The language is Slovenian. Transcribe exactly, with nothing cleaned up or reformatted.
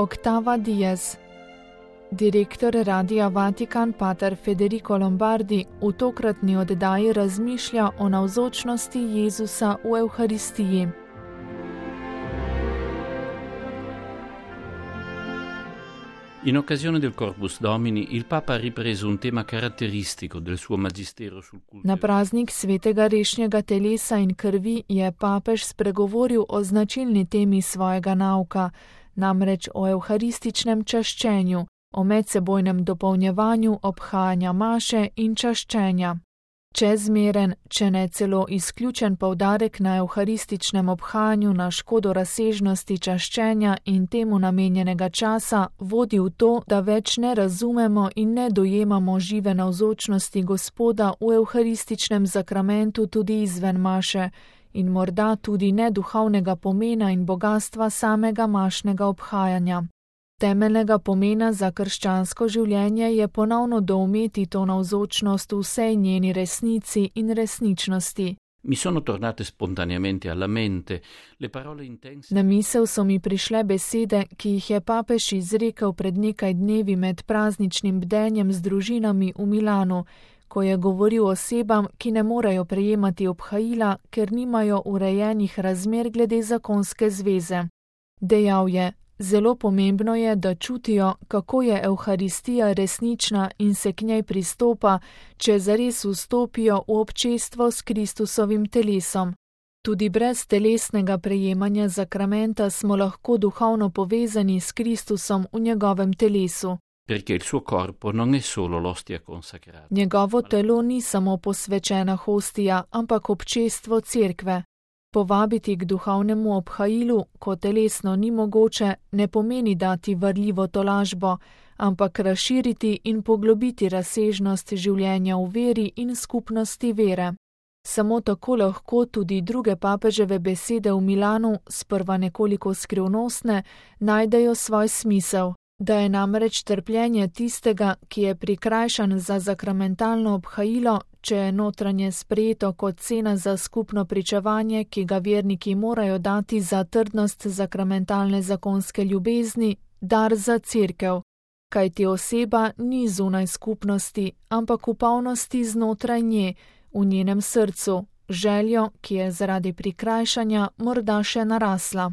Octava Diez. Direktor Radia Vatikan pater Federico Lombardi v tokratni oddaji razmišlja o navzočnosti Jezusa v Evharistiji. In occasione del Corpus Domini, il Papa ha ripreso un tema caratteristico del suo magistero sul culto. Na praznik svetega rešnjega telesa in krvi je papež spregovoril o značilni temi svojega nauka, namreč o evharističnem čaščenju, o medsebojnem dopolnjevanju obhajanja maše in čaščenja. Čezmeren, če ne celo izključen poudarek na evharističnem obhajanju na škodo razsežnosti čaščenja in temu namenjenega časa vodi v to, da več ne razumemo in ne dojemamo žive navzočnosti Gospoda v evharističnem zakramentu tudi izven maše in morda tudi ne duhovnega pomena in bogastva samega mašnega obhajanja. Temeljnega pomena za krščansko življenje je ponovno doumeti to navzočnost v vsej njeni resnici in resničnosti. Mi sono tornate spontaneamente alla mente le parole intense. Na misel so mi prišle besede, ki jih je papež izrekel pred nekaj dnevi med prazničnim bdenjem z družinami v Milanu, ko je govoril osebam, ki ne morejo prejemati obhajila, ker nimajo urejenih razmer glede zakonske zveze. Dejal je: Zelo pomembno je, da čutijo, kako je Evharistija resnična in se k njej pristopa, če zares vstopijo v občestvo s Kristusovim telesom. Tudi brez telesnega prejemanja zakramenta smo lahko duhovno povezani s Kristusom v njegovem telesu. Perché il suo corpo non è solo l'ostia consacrata. Njegovo telo ni samo posvečena hostija, ampak občestvo cerkve. Povabiti k duhovnemu obhajilu, ko telesno ni mogoče, ne pomeni dati varljivo tolažbo, ampak razširiti in poglobiti razsežnost življenja v veri in skupnosti vere. Samo tako lahko tudi druge papeževe besede v Milanu, sprva nekoliko skrivnostne, najdejo svoj smisel, da je namreč trpljenje tistega, ki je prikrajšan za zakramentalno obhajilo, če je notranje sprejeto kot cena za skupno pričevanje, ki ga verniki morajo dati za trdnost zakramentalne zakonske ljubezni, dar za cerkev, kajti oseba ni zunaj skupnosti, ampak v polnosti znotraj nje, v njenem srcu, željo, ki je zaradi prikrajšanja morda še narasla.